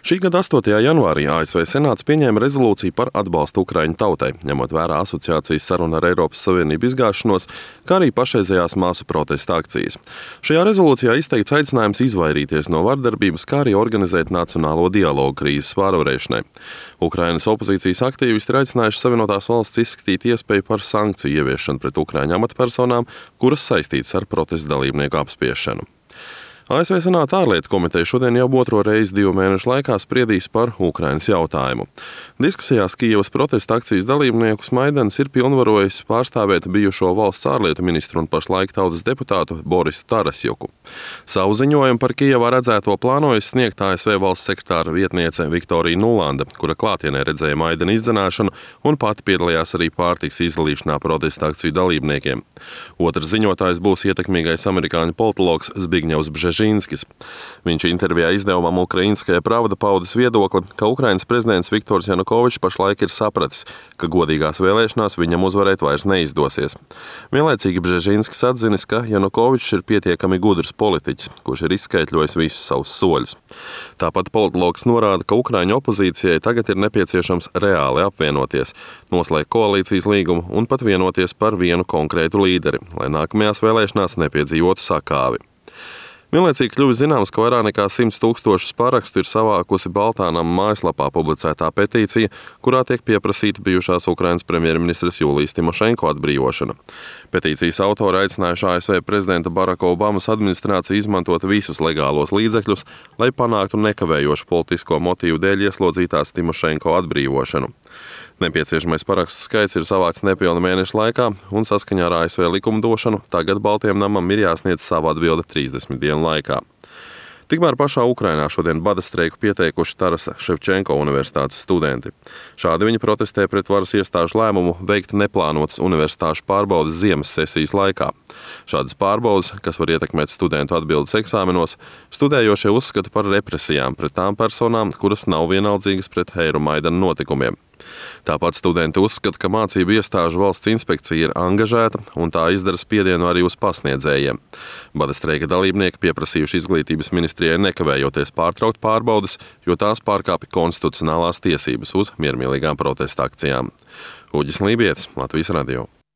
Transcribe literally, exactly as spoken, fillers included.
Šī gada astotajā janvārī A S V Senāts pieņēma rezolūciju par atbalstu Ukraiņu tautai, ņemot vērā asociācijas sarunu ar Eiropas Savienību izgāšanos, kā arī pašreizējās masu protesta akcijas. Šajā rezolūcijā izteikts aicinājums izvairīties no vardarbības, kā arī organizēt nacionālo dialogu krīzes pārvarēšanai. Ukrainas opozīcijas aktīvisti ir aicinājuši Savienotās valsts izskatīt iespēju par sankciju ieviešanu pret Ukraiņu amatpersonām, kuras saistītas ar protesta dalībnieku apspiešanu. A S V Senāta ārlietu komiteja šodien jau otro reizi divu mēnešu laikā spriedīs par Ukrainas jautājumu. Diskusijās Kijevas protesta akcijas dalībniekus Maidans ir pilnvarojis pārstāvēt bijušo valsts ārlietu ministru un pašlaik tautas deputātu Borisu Tarasjuku. Savu ziņojumu par Kijevā redzēto plānojas sniegt A S V valsts sekretāra vietniece Viktorija Nulanda, kura klātienē redzēja Maidana izdzenāšanu un pati piedalījās arī pārtikas izdalīšanā protesta akciju dalībniekiem. Otrs ziņotājs būs ietekmīgais amerikāņu politologs Zbigņevs Bžežinskis. Viņš intervijā izdevumam Ukrainskaja Pravda paudis viedokli, ka Ukrainas prezidents Viktors Janukovičs pašlaik ir sapratis, ka godīgās vēlēšanās viņam uzvarēt vairs neizdosies. Vienlaicīgi Bžežinskis atzinis, ka Janukovičs ir pietiekami gudrs politiķis, kurš ir izskaitļojis visus savus soļus. Tāpat politologs norāda, ka Ukraiņu opozīcijai tagad ir nepieciešams reāli apvienoties, noslēgt koalīcijas līgumu un pat vienoties par vienu konkrētu līderi, lai nākamajās vēlēšanās nepiedzīvotu sakāvi. Vienlaicīgi kļuvis zināms, ka vairāk nekā simts tūkstošus parakstu ir savākusi Baltānam mājaslapā publicētā petīcija, kurā tiek pieprasīta bijušās Ukrainas premjerministres Julijas Timošenko atbrīvošana. Petīcijas autori aicinājuši A S V prezidenta Baraka Obamas administrāciju izmantot visus legālos līdzekļus, lai panāktu nekavējošu politisko motīvu dēļ ieslodzītās Timošenko atbrīvošanu. Nepieciešamais parakstu skaits ir savākts nepilna mēneša laikā, un saskaņā ar A S V likumdošanu tagad Baltijam namam ir jāsniedz savu atbildi trīsdesmit dienu laikā. Tikmēr pašā Ukrainā šodien bada streiku pieteikuši Tarasa Ševčenko universitātes studenti. Šādi viņi protestē pret varas iestāžu lēmumu veikt neplānotas universitāšu pārbaudes ziemas sesijas laikā. Šādas pārbaudes, kas var ietekmēt studentu atbildes eksāmenos, studējošie uzskata par represijām pret tām personām, kuras nav vienaldzīgas pret Eiromaidana notikumiem. Tāpat studenti uzskata, ka mācību iestāžu valsts inspekcija ir angažēta un tā izdara spiedienu arī uz pasniedzējiem. Bada streika dalībnieki pieprasījuši izglītības ministrijai nekavējoties pārtraukt pārbaudes, jo tās pārkāpja konstitucionālās tiesības uz miermīlīgām protesta akcijām. Uģis Lībietis, Latvijas radio.